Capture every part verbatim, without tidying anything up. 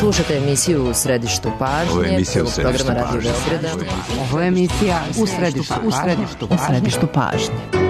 Slušate emisiju U središtu pažnje. Ovo je emisija U središtu programa Radio pažnje. Beograda. Ovo je emisija U središtu, u središtu, u središtu pažnje.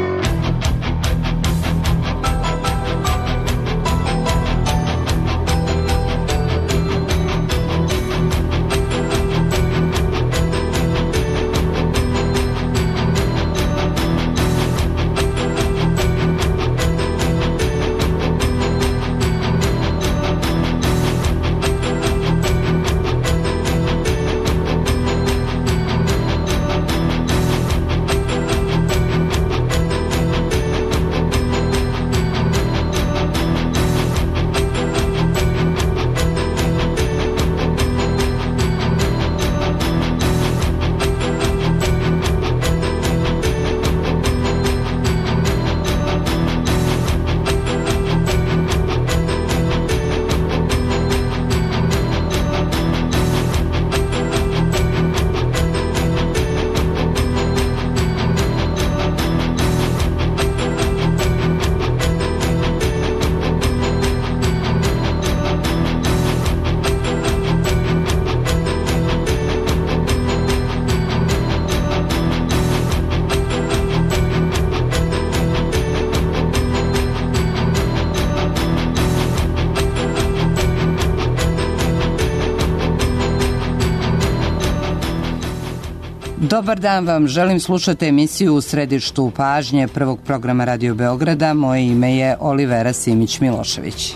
Dobar dan vam, želim slušati emisiju U središtu pažnje prvog programa Radio Beograda. Moje ime je Olivera Simić-Milošević.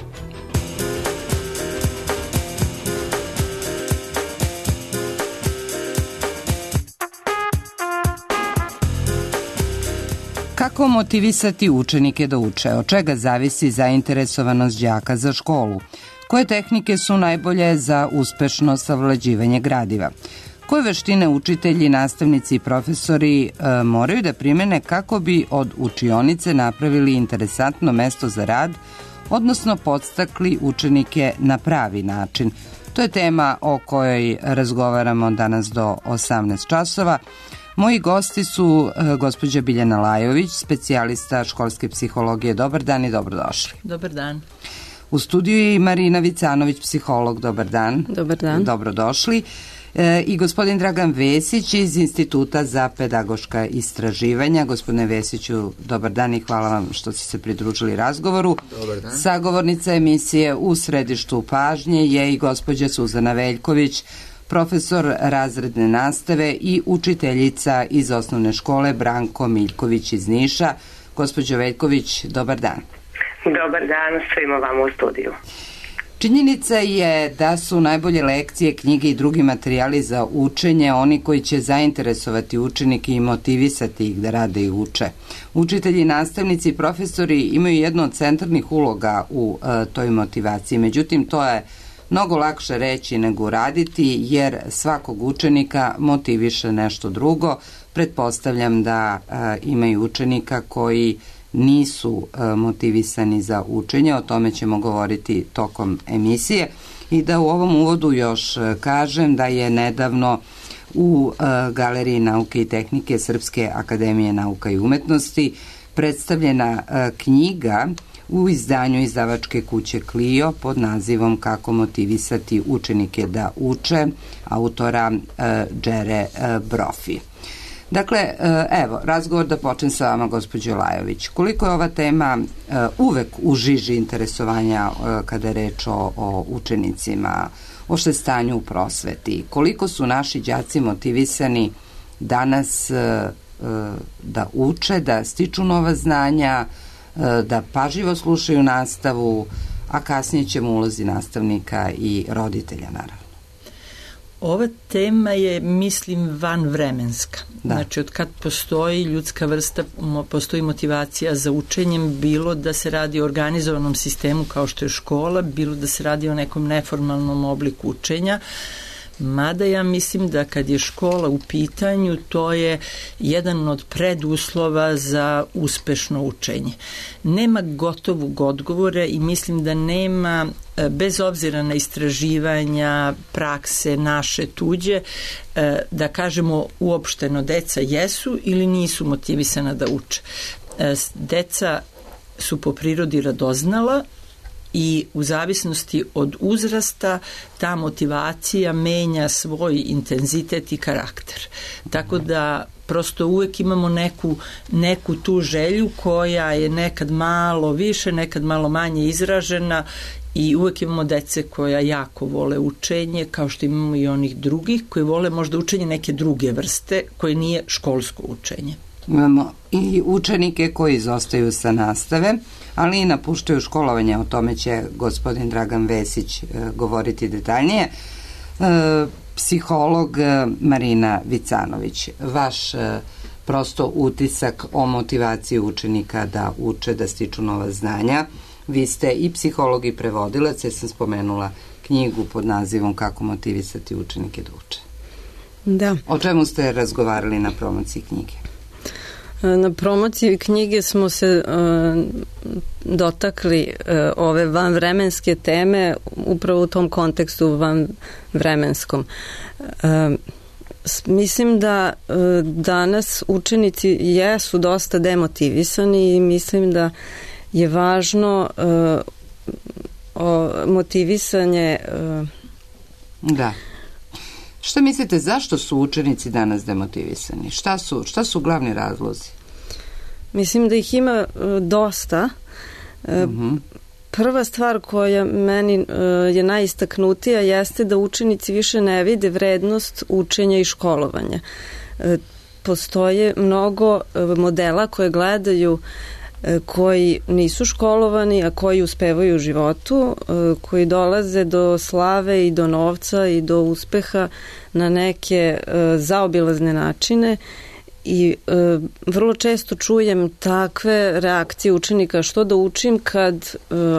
Kako motivisati učenike da uče? Od čega zavisi zainteresovanost đaka za školu? Koje tehnike su najbolje za uspešno savlađivanje gradiva? Koje veštine učitelji, nastavnici i profesori e, moraju da primene kako bi od učionice napravili interesantno mesto za rad, odnosno podstakli učenike na pravi način? To je tema o kojoj razgovaramo danas do osamnaest časova. Moji gosti su e, gospođa Biljana Lajović, specijalista školske psihologije. Dobar dan i dobrodošli. Dobar dan. U studiju je i Marina Vicanović, psiholog. Dobar dan. Dobar dan. Dobrodošli. E, I gospodin Dragan Vesić iz Instituta za pedagoška istraživanja. Gospodine Vesiću, dobar dan i hvala vam što ste se pridružili razgovoru. Dobar dan. Sagovornica emisije U središtu pažnje je i gospođa Suzana Veljković, profesor razredne nastave i učiteljica iz osnovne škole Branko Miljković iz Niša. Gospođo Veljković, dobar dan. Dobar dan svima vama u studiju. Činjenica je da su najbolje lekcije, knjige i drugi materijali za učenje oni koji će zainteresovati učenike i motivisati ih da rade i uče. Učitelji, nastavnici i profesori imaju jednu od centralnih uloga u e, toj motivaciji. Međutim, to je mnogo lakše reći nego uraditi, jer svakog učenika motiviše nešto drugo. Pretpostavljam da e, imaju učenika koji nisu e, motivisani za učenje, o tome ćemo govoriti tokom emisije. I da u ovom uvodu još e, kažem da je nedavno u e, Galeriji nauke i tehnike Srpske akademije nauka i umetnosti predstavljena e, knjiga u izdanju izdavačke kuće Clio pod nazivom Kako motivisati učenike da uče, autora e, Džere e, Brofi. Dakle, evo, razgovor da počnem sa vama, gospođo Lajović. Koliko je ova tema uvek u žiži interesovanja kada je reč o, o učenicima, o što je stanju u prosveti? Koliko su naši đaci motivisani danas da uče, da stiču nova znanja, da pažljivo slušaju nastavu, a kasnije ćemo ulozi nastavnika i roditelja, naravno. Ova tema je, mislim, vanvremenska. Da. Znači, od kad postoji ljudska vrsta, postoji motivacija za učenjem, bilo da se radi o organizovanom sistemu kao što je škola, bilo da se radi o nekom neformalnom obliku učenja. Mada ja mislim da kad je škola u pitanju, to je jedan od preduslova za uspešno učenje. Nema gotovog odgovora i mislim da nema, bez obzira na istraživanja, prakse, naše, tuđe, da kažemo uopšteno deca jesu ili nisu motivisana da uče. Deca su po prirodi radoznala i u zavisnosti od uzrasta ta motivacija menja svoj intenzitet i karakter. Tako da prosto uvek imamo neku, neku tu želju koja je nekad malo više, nekad malo manje izražena i uvek imamo dece koja jako vole učenje, kao što imamo i onih drugih koji vole možda učenje neke druge vrste koje nije školsko učenje. Imamo i učenike koji izostaju sa nastave, ali i napuštaju školovanje, o tome će gospodin Dragan Vesić e, govoriti detaljnije. E, psiholog Marina Vicanović, vaš e, prosto utisak o motivaciji učenika da uče, da stiču nova znanja. Vi ste i psiholog i prevodilac, jer sam spomenula knjigu pod nazivom Kako motivisati učenike da uče. Da. O čemu ste razgovarali na promociji knjige? Na promociji knjige smo se uh, dotakli uh, ove vanvremenske teme upravo u tom kontekstu vanvremenskom. Uh, mislim da uh, danas učenici jesu dosta demotivisani i mislim da je važno uh, o, motivisanje... Uh, da. Šta mislite, zašto su učenici danas demotivisani? Šta su, šta su glavni razlozi? Mislim da ih ima uh, dosta. Uh, uh-huh. Prva stvar koja meni uh, je najistaknutija jeste da učenici više ne vide vrednost učenja i školovanja. Uh, postoje mnogo uh, modela koje gledaju koji nisu školovani, a koji uspevaju u životu, koji dolaze do slave i do novca i do uspeha na neke zaobilazne načine i vrlo često čujem takve reakcije učenika: što da učim kad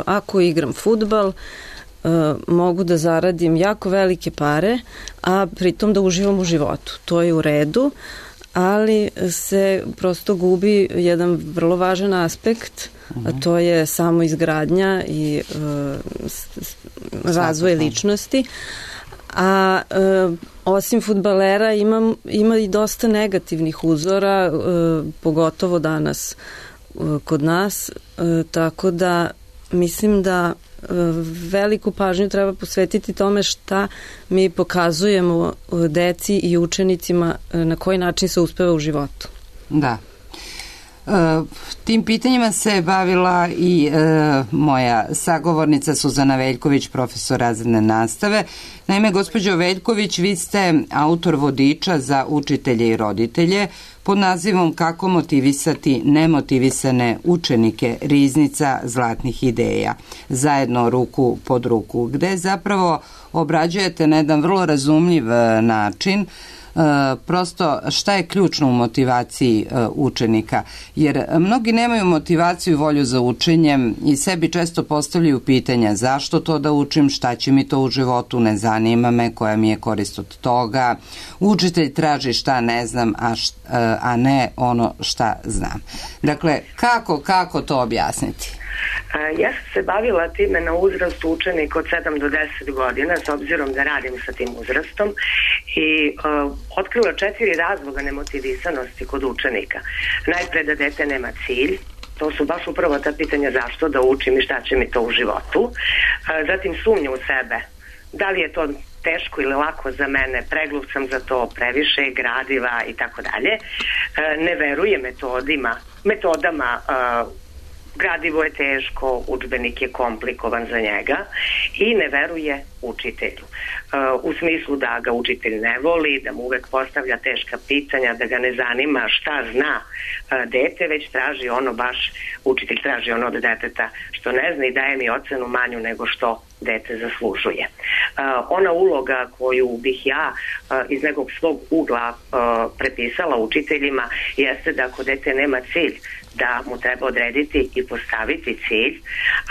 ako igram fudbal mogu da zaradim jako velike pare, a pritom da uživam u životu. To je u redu, ali se prosto gubi jedan vrlo važan aspekt, a to je samo izgradnja i uh, razvoj ličnosti. A uh, osim fudbalera ima, ima i dosta negativnih uzora, uh, pogotovo danas uh, kod nas, uh, tako da mislim da veliku pažnju treba posvetiti tome šta mi pokazujemo deci i učenicima na koji način se uspeva u životu. Da. E, tim pitanjima se bavila i e, moja sagovornica Suzana Veljković, profesor razredne nastave. Naime, gospođo Veljković, vi ste autor vodiča za učitelje i roditelje pod nazivom Kako motivisati nemotivisane učenike, riznica zlatnih ideja, zajedno ruku pod ruku, gde zapravo obrađujete na jedan vrlo razumljiv način prosto šta je ključno u motivaciji učenika, jer mnogi nemaju motivaciju i volju za učenjem i sebi često postavljaju pitanja: zašto to da učim, šta će mi to u životu, ne zanima me, koja mi je korist od toga. Učitelj traži šta ne znam, a, šta, a ne ono šta znam. Dakle, kako, kako to objasniti? Ja sam se bavila time na uzrastu učenika od sedam do deset godina, s obzirom da radim sa tim uzrastom, i uh, otkrila četiri razloga nemotivisanosti kod učenika. Najpre da dete nema cilj, to su baš upravo ta pitanja zašto da učim i šta će mi to u životu. Uh, zatim sumnja u sebe, da li je to teško ili lako za mene, pregluv sam za to, previše gradiva i tako dalje. Ne veruje metodima, metodama uh, gradivo je teško, udžbenik je komplikovan za njega i ne veruje učitelju. U smislu da ga učitelj ne voli, da mu uvek postavlja teška pitanja, da ga ne zanima šta zna dete, već traži ono baš, učitelj traži ono od deteta što ne zna i daje mi ocenu manju nego što dete zaslužuje. Ona uloga koju bih ja iz nekog svog ugla prepisala učiteljima jeste da ako dete nema cilj, da mu treba odrediti i postaviti cilj,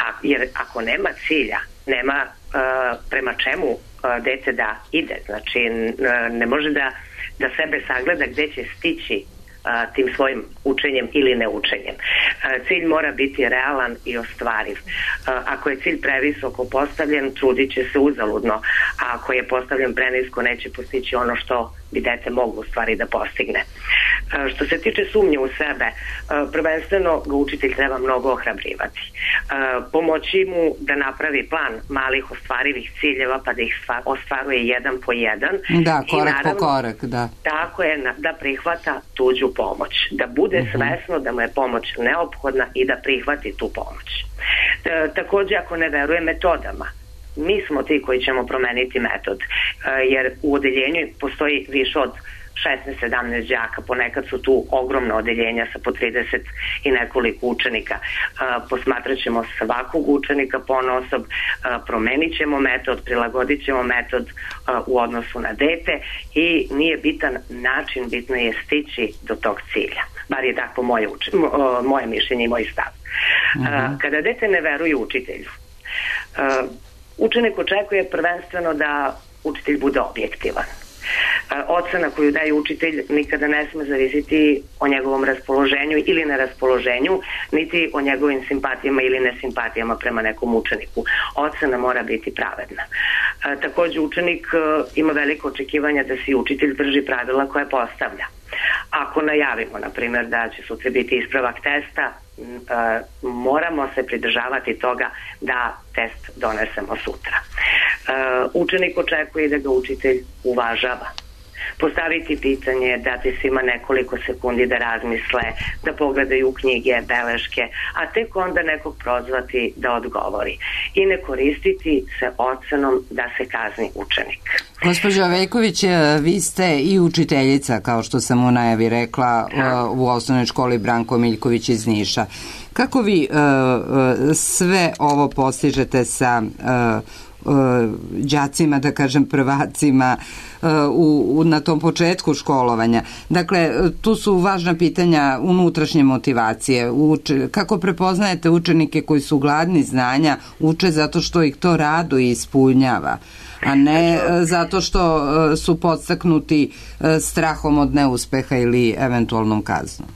a, jer ako nema cilja, nema uh, prema čemu uh, dete da ide. Znači, uh, ne može da, da sebe sagleda gde će stići uh, tim svojim učenjem ili neučenjem. Uh, cilj mora biti realan i ostvariv. Uh, ako je cilj previsoko postavljen, trudit će se uzaludno, a ako je postavljen prenisko, neće postići ono što bi dete moglo u stvari da postigne. Što se tiče sumnje u sebe, prvenstveno ga učitelj treba mnogo ohrabrivati. Pomoći mu da napravi plan malih ostvarivih ciljeva pa da ih ostvaruje jedan po jedan. Da, korak naravno, po korak, da. Tako je, da prihvata tuđu pomoć. Da bude uh-huh. svesno da mu je pomoć neophodna i da prihvati tu pomoć. E, takođe, ako ne veruje metodama, mi smo ti koji ćemo promeniti metod, e, jer u odeljenju postoji više od šesnaest sedamnaest đaka, ponekad su tu ogromna odeljenja sa po trideset i nekoliko učenika. E, posmatrat ćemo svakog učenika ponaosob, e, promenit ćemo metod, prilagodit ćemo metod e, u odnosu na dete i nije bitan način, bitno je stići do tog cilja. Bar je tako moje, uči, mo, moje mišljenje i moj stav. Uh-huh. Kada dete ne veruje učitelju, učenik očekuje prvenstveno da učitelj bude objektivan. Ocena koju daje učitelj nikada ne sme zavisiti o njegovom raspoloženju ili neraspoloženju, niti o njegovim simpatijama ili nesimpatijama prema nekom učeniku. Ocena mora biti pravedna. Takođe, učenik ima veliko očekivanja da se učitelj drži pravila koje postavlja. Ako najavimo, na primjer, da će sutra biti ispravak testa, Uh, moramo se pridržavati toga da test donesemo sutra. Uh, učenik očekuje da ga učitelj uvažava. Postaviti pitanje, dati svima nekoliko sekundi da razmisle, da pogledaju knjige, beleške, a tek onda nekog prozvati da odgovori. I ne koristiti se ocenom da se kazni učenik. Gospođo Veljković, vi ste i učiteljica, kao što sam u najavi rekla, da. u osnovnoj školi Branko Miljković iz Niša. Kako vi uh, sve ovo postižete sa uh, đacima, da kažem prvacima u, u, na tom početku školovanja? Dakle, tu su važna pitanja unutrašnje motivacije. Uče, kako prepoznajete učenike koji su gladni znanja, uče zato što ih to rado ispunjava, a ne zato što su podstaknuti strahom od neuspeha ili eventualnom kaznom?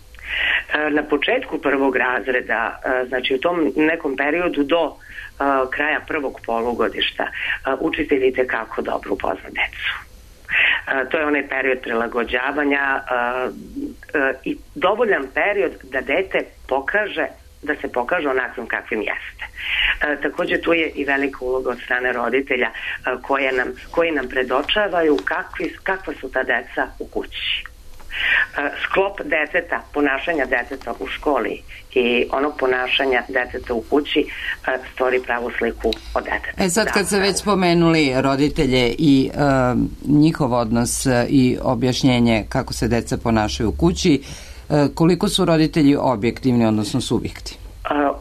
Na početku prvog razreda, znači u tom nekom periodu do kraja prvog polugodišta, učitelj itekako dobro upozna decu. To je onaj period prilagođavanja i dovoljan period da dete pokaže da se pokaže onakvim kakvim jeste. E, takođe tu je i velika uloga od strane roditelja e, koje nam, koji nam predočavaju kakvi, kakva su ta deca u kući. E, sklop deteta, ponašanja deteta u školi i onog ponašanja deteta u kući e, stvori pravu sliku o detetu. E sad kad ste već spomenuli roditelje i e, njihov odnos i objašnjenje kako se deca ponašaju u kući, koliko su roditelji objektivni, odnosno subjekti? Uh,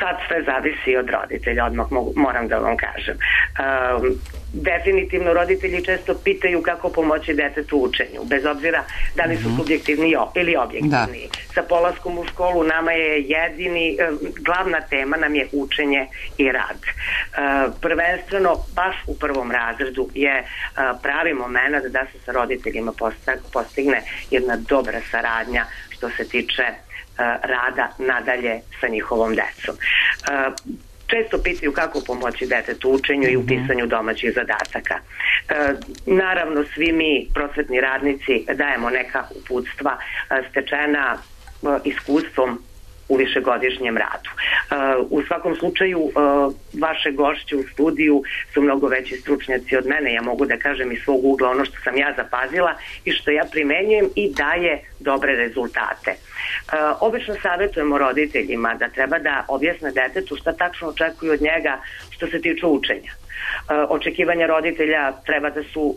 sad sve zavisi od roditelja, odmah mogu, moram da vam kažem. Uh, definitivno roditelji često pitaju kako pomoći detetu u učenju, bez obzira da li su subjektivni ili objektivni. Da. Sa polaskom u školu nama je jedini, uh, glavna tema nam je učenje i rad. Uh, prvenstveno, baš u prvom razredu je uh, pravi moment da se sa roditeljima postigne jedna dobra saradnja što se tiče rada nadalje sa njihovom decom. Često pitaju kako pomoći detetu u učenju i u pisanju domaćih zadataka. Naravno, svi mi, prosvetni radnici, dajemo neka uputstva stečena iskustvom u višegodišnjem radu. U svakom slučaju, vaše gošće u studiju su mnogo veći stručnjaci od mene. Ja mogu da kažem iz svog ugla ono što sam ja zapazila i što ja primenjujem i daje dobre rezultate. Obično savjetujemo roditeljima da treba da objasne detetu šta tačno očekuju od njega što se tiče učenja. Očekivanja roditelja treba da su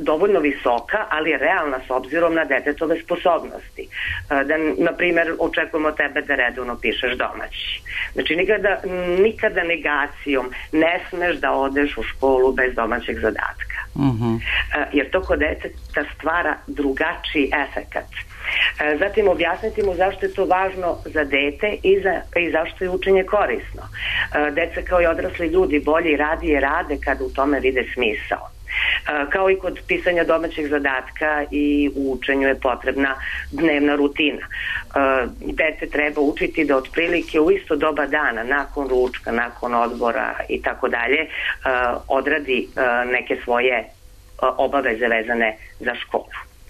dovoljno visoka, ali realna s obzirom na detetove sposobnosti. Da, na primjer, očekujemo tebe da redovno pišeš domaći. Znači, nikada, nikada negacijom ne smeš da odeš u školu bez domaćeg zadatka. Uh-huh. Jer to kod deteta stvara drugačiji efekat. Zatim objasniti mu zašto je to važno za dete i, za, i zašto je učenje korisno. Deca kao i odrasli ljudi bolje i radije rade kad u tome vide smisao. Kao i kod pisanja domaćeg zadatka i u učenju je potrebna dnevna rutina. Dete treba učiti da otprilike u isto doba dana, nakon ručka, nakon odbora i tako dalje, odradi neke svoje obaveze vezane za školu.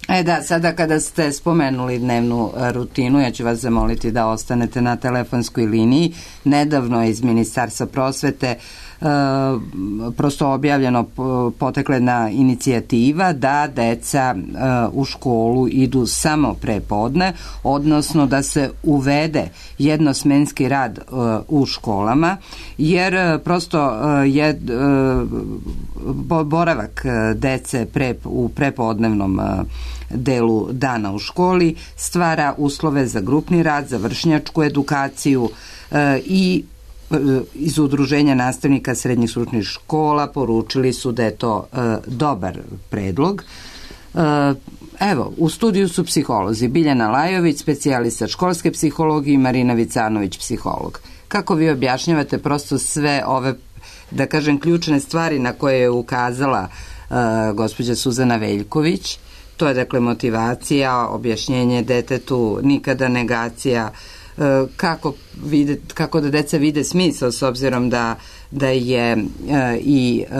E da, sada kada ste spomenuli dnevnu rutinu, ja ću vas zamoliti da ostanete na telefonskoj liniji. Nedavno iz Ministarstva prosvete Uh, prosto objavljeno poteklena inicijativa da deca uh, u školu idu samo pre podne, odnosno da se uvede jednosmenski rad uh, u školama, jer uh, prosto uh, je uh, boravak uh, dece pre, u prepodnevnom uh, delu dana u školi stvara uslove za grupni rad, za vršnjačku edukaciju uh, i iz Udruženja nastavnika srednjih stručnih škola poručili su da je to e, dobar predlog. E, evo, u studiju su psiholozi Biljana Lajović, specijalista školske psihologije, i Marina Vicanović, psiholog. Kako vi objašnjavate prosto sve ove, da kažem, ključne stvari na koje je ukazala e, gospođa Suzana Veljković? To je, dakle, motivacija, objašnjenje detetu, nikada negacija, kako, vide, kako da deca vide smisao, s obzirom da, da je e, i e,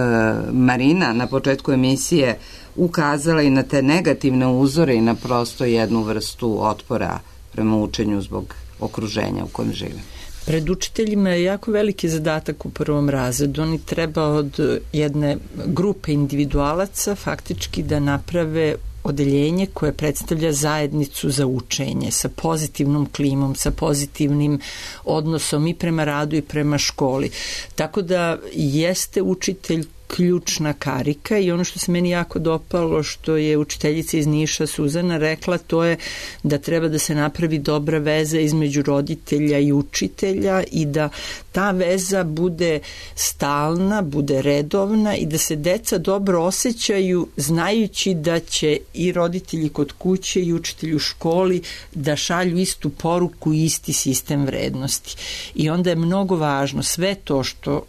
Marina na početku emisije ukazala i na te negativne uzore i na prosto jednu vrstu otpora prema učenju zbog okruženja u kojem žive. Pred učiteljima je jako veliki zadatak u prvom razredu. Oni treba od jedne grupe individualaca faktički da naprave odeljenje koje predstavlja zajednicu za učenje sa pozitivnom klimom, sa pozitivnim odnosom i prema radu i prema školi. Tako da jeste učitelj ključna karika i ono što se meni jako dopalo što je učiteljica iz Niša Suzana rekla, to je da treba da se napravi dobra veza između roditelja i učitelja i da ta veza bude stalna, bude redovna i da se deca dobro osjećaju znajući da će i roditelji kod kuće i učitelji u školi da šalju istu poruku i isti sistem vrednosti. I onda je mnogo važno sve to što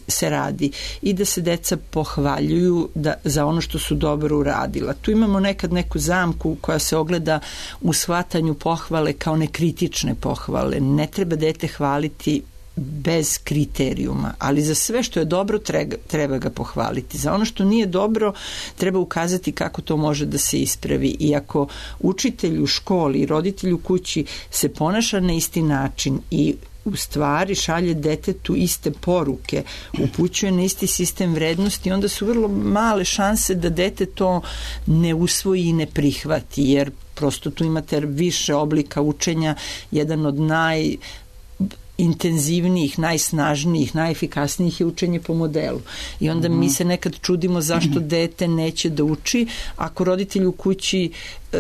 se radi i da se deca pohvaljuju da, za ono što su dobro uradila. Tu imamo nekad neku zamku koja se ogleda u shvatanju pohvale kao nekritične pohvale. Ne treba dete hvaliti bez kriterijuma, ali za sve što je dobro treba, treba ga pohvaliti. Za ono što nije dobro treba ukazati kako to može da se ispravi. I ako učitelj u školi i roditelj u kući se ponaša na isti način i u stvari šalje detetu iste poruke, upućuje na isti sistem vrednosti, onda su vrlo male šanse da dete to ne usvoji i ne prihvati, jer prosto tu imate više oblika učenja. Jedan od naj intenzivnijih, najsnažnijih, najefikasnijih je učenje po modelu. I onda mm-hmm. mi se nekad čudimo zašto dete neće da uči. Ako roditelj u kući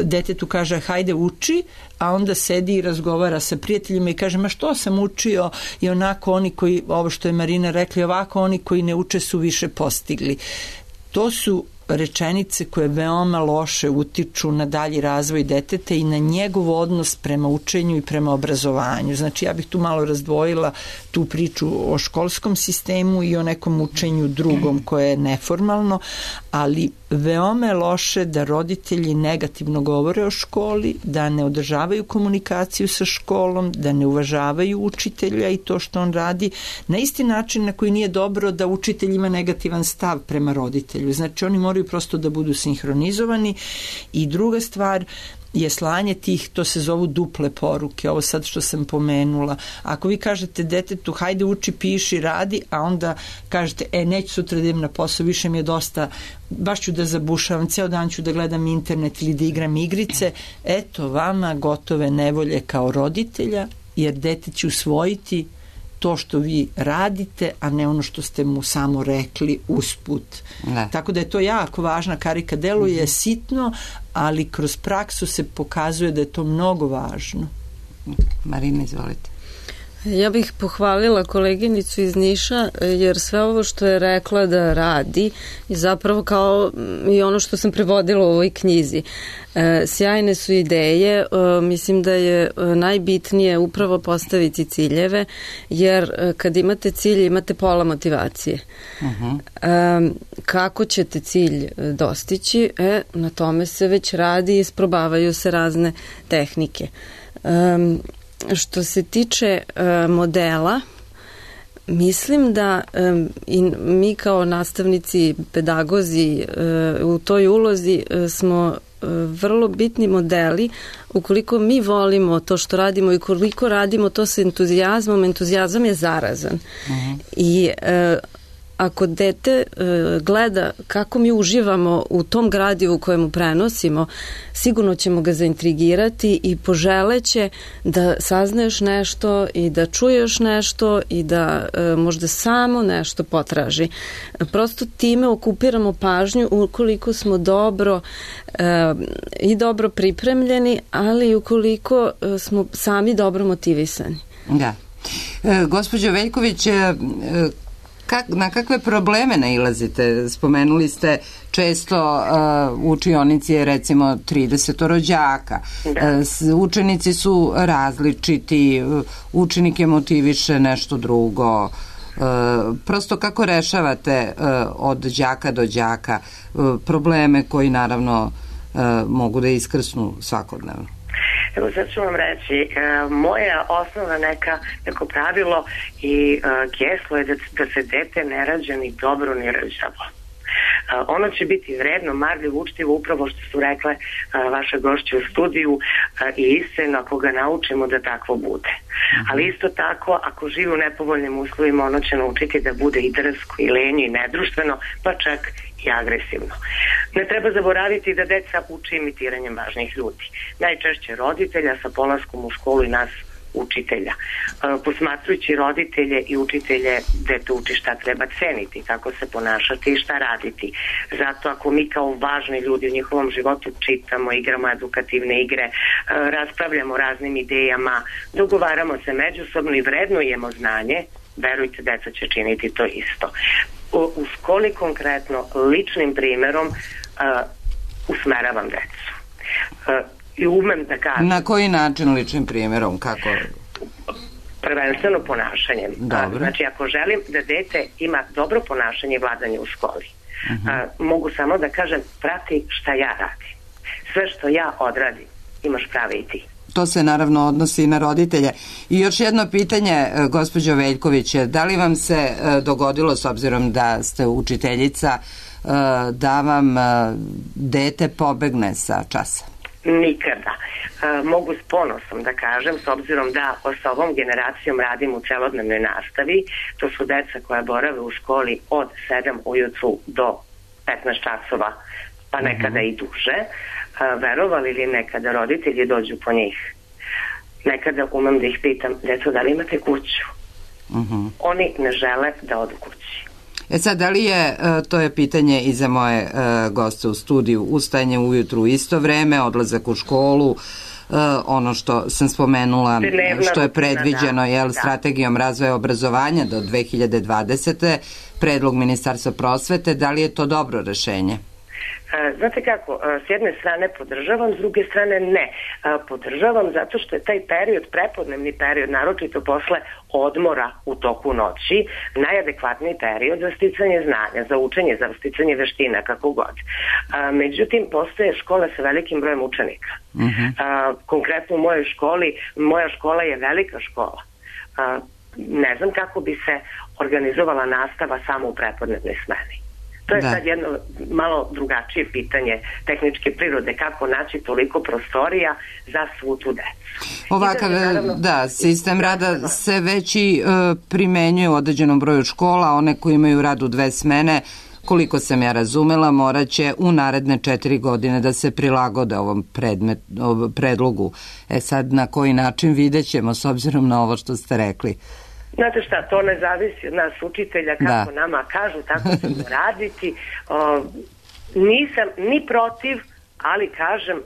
detetu kaže hajde uči, a onda sedi i razgovara sa prijateljima i kaže ma što sam učio i onako oni koji, ovo što je Marina rekla, ovako oni koji ne uče su više postigli. To su rečenice koje veoma loše utiču na dalji razvoj deteta i na njegov odnos prema učenju i prema obrazovanju. Znači ja bih tu malo razdvojila tu priču o školskom sistemu i o nekom učenju drugom koje je neformalno, ali veoma je loše da roditelji negativno govore o školi, da ne održavaju komunikaciju sa školom, da ne uvažavaju učitelja i to što on radi, na isti način na koji nije dobro da učitelj ima negativan stav prema roditelju. Znači oni moraju prosto da budu sinhronizovani. I druga stvar je slanje tih, to se zovu duple poruke, ovo sad što sam pomenula. Ako vi kažete detetu hajde uči, piši, radi, a onda kažete e neću sutra da idem na posao, više mi je dosta, baš ću da zabušavam, ceo dan ću da gledam internet ili da igram igrice, eto vama gotove nevolje kao roditelja, jer dete će usvojiti to što vi radite, a ne ono što ste mu samo rekli usput. Ne. Tako da je to jako važna karika. Deluje mm-hmm. sitno, ali kroz praksu se pokazuje da je to mnogo važno. Marina, izvolite. Ja bih pohvalila koleginicu iz Niša, jer sve ovo što je rekla da radi je zapravo kao i ono što sam prevodila u ovoj knjizi. E, sjajne su ideje, e, mislim da je najbitnije upravo postaviti ciljeve, jer e, kad imate cilj imate pola motivacije. Uh-huh. E, kako ćete cilj dostići? E, na tome se već radi i isprobavaju se razne tehnike. E, Što se tiče uh, modela, Mislim da um, i mi kao nastavnici, pedagozi uh, u toj ulozi uh, smo uh, vrlo bitni modeli. Ukoliko mi volimo to što radimo i koliko radimo to sa entuzijazmom, entuzijazam je zarazan. Uh-huh. I uh, ako dete uh, gleda kako mi uživamo u tom gradivu kojemu prenosimo, sigurno ćemo ga zaintrigirati i poželeće da saznaješ nešto i da čuješ nešto i da uh, možda samo nešto potraži. Prosto time okupiramo pažnju ukoliko smo dobro uh, i dobro pripremljeni, ali i ukoliko uh, smo sami dobro motivisani. Da. E, gospođo Veljković, e, Kak, na kakve probleme nailazite? Spomenuli ste često uh, u učionici je recimo trideset đaka. Uh, učenici su različiti, uh, učenike motiviše nešto drugo. Uh, prosto kako rešavate uh, od đaka do đaka uh, probleme koji naravno uh, mogu da iskrsnu svakodnevno? Evo sad ću vam reći, e, moja osnovna neka, neko pravilo i e, geslo je da, da se dete ne rađa ni dobro ni rđavo. E, ono će biti vredno, marljivo, učtivo, upravo što su rekle e, vaše gošće u studiju e, i iskreno ako ga naučimo da takvo bude. Ali isto tako, ako živi u nepovoljnim uslovima, ono će naučiti da bude i drsko, i lenje, i nedruštveno, pa čak i agresivno. Ne treba zaboraviti da deca uče imitiranjem važnih ljudi. Najčešće roditelja sa polaskom u školu i nas učitelja. Posmatrujući roditelje i učitelje, dete uči šta treba ceniti, kako se ponašati i šta raditi. Zato ako mi kao važni ljudi u njihovom životu čitamo, igramo edukativne igre, raspravljamo raznim idejama, dogovaramo se međusobno i vrednujemo znanje, verujte, deca će činiti to isto. U školi konkretno ličnim primerom uh, usmeravam decu. Uh, I umem da kažem... Na koji način ličnim primjerom? Kako? Prvenstveno ponašanjem. Dobro. Znači, ako želim da dete ima dobro ponašanje i vladanje u školi, uh-huh. uh, mogu samo da kažem, prati šta ja radim. Sve što ja odradim, imaš prave i ti. To se naravno odnosi i na roditelje. I još jedno pitanje, gospođo Veljković, da li vam se dogodilo, s obzirom da ste učiteljica, da vam dete pobegne sa časa? Nikada. Mogu s ponosom da kažem, s obzirom da sa ovom generacijom radim u celodnevnoj nastavi, to su deca koja borave u školi od sedam ujutru do petnaest časova, pa nekada uh-huh. i duže. A, verovali ili nekada roditelji dođu po njih. Nekada umem da ih pitam, deco, da li imate kuću? Uh-huh. Oni ne žele da odu kući. E sad, da li je, to je pitanje i za moje goste u studiju, ustajanje ujutru u isto vreme, odlazak u školu, ono što sam spomenula, Dnevna što je predviđeno da, jel, da. strategijom razvoja obrazovanja do dve hiljade dvadesete. predlog Ministarstva prosvete, da li je to dobro rešenje? Znate kako, s jedne strane podržavam, s druge strane ne. Podržavam zato što je taj period, prepodnevni period, naročito posle odmora u toku noći, najadekvatniji period za sticanje znanja, za učenje, za sticanje veština, kako god. Međutim, postoje škole sa velikim brojem učenika. Uh-huh. Konkretno u mojoj školi, moja škola je velika škola. Ne znam kako bi se organizovala nastava samo u prepodnevnoj smeni. To je da. sad jedno malo drugačije pitanje tehničke prirode, kako naći toliko prostorija za svu tu decu. Ovakav, da, naravno, da, sistem rada se već i uh, primenjuje u određenom broju škola, one koji imaju rad u dve smene, koliko sam ja razumela, morat će u naredne četiri godine da se prilagode ovom predmet, ovom predlogu. E sad, na koji način vidjet ćemo, s obzirom na ovo što ste rekli? Znate šta, to ne zavisi od nas učitelja, kako da. nama kažu, tako ćemo raditi. O, nisam ni protiv, ali kažem, o,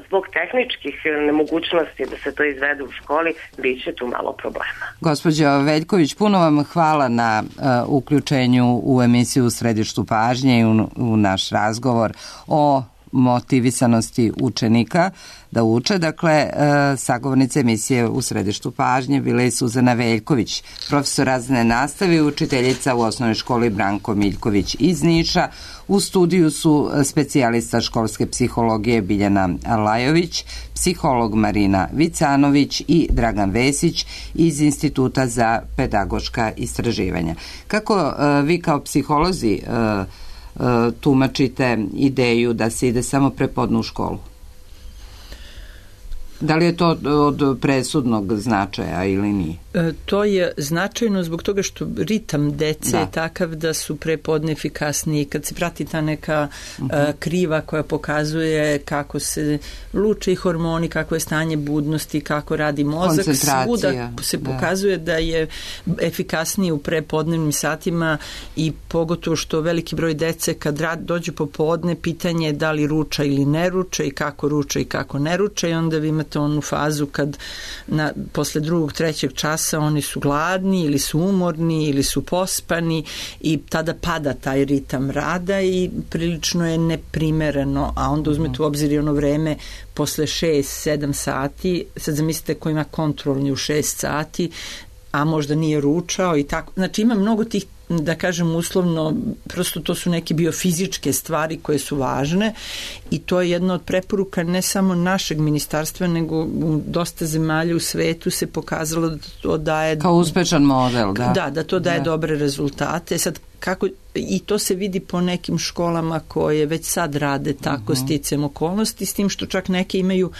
zbog tehničkih nemogućnosti da se to izvede u školi, bit će tu malo problema. Gospođo Veljković, puno vam hvala na uh, uključenju u emisiju U središtu pažnje i u, u naš razgovor o motivisanosti učenika da uče. Dakle, sagovornice emisije U središtu pažnje bila je Suzana Veljković, profesor razredne nastave i učiteljica u osnovnoj školi Branko Miljković iz Niša. U studiju su specijalista školske psihologije Biljana Lajović, psiholog Marina Vicanović i Dragan Vesić iz Instituta za pedagoška istraživanja. Kako vi kao psiholozi tumačite ideju da se ide samo prepodne u školu? Da li je to od presudnog značaja ili nije? E, to je značajno zbog toga što ritam dece da. je takav da su prepodne efikasniji. Kad se prati ta neka uh-huh. e, kriva koja pokazuje kako se luče i hormoni, kako je stanje budnosti, kako radi mozak, svuda se da. pokazuje da je efikasniji u prepodnevnim satima i pogotovo što veliki broj dece kad rad, dođu popodne, pitanje je da li ruča ili ne ruča i kako ruča i kako ne ruča i onda vi imate onu fazu kad na, posle drugog, trećeg časa oni su gladni ili su umorni ili su pospani i tada pada taj ritam rada i prilično je neprimereno, a onda uzmete u obzir i ono vreme posle šest sedam sati, sad zamislite ko ima kontrolni u šest sati, a možda nije ručao i tako. Znači ima mnogo tih, da kažem uslovno, prosto to su neke biofizičke stvari koje su važne i to je jedna od preporuka ne samo našeg ministarstva, nego u dosta zemalja u svetu se pokazalo da to daje... Kao uspešan model, da. Da, da to daje da. dobre rezultate. Sad, kako, i to se vidi po nekim školama koje već sad rade tako uh-huh. sticam okolnosti, s tim što čak neke imaju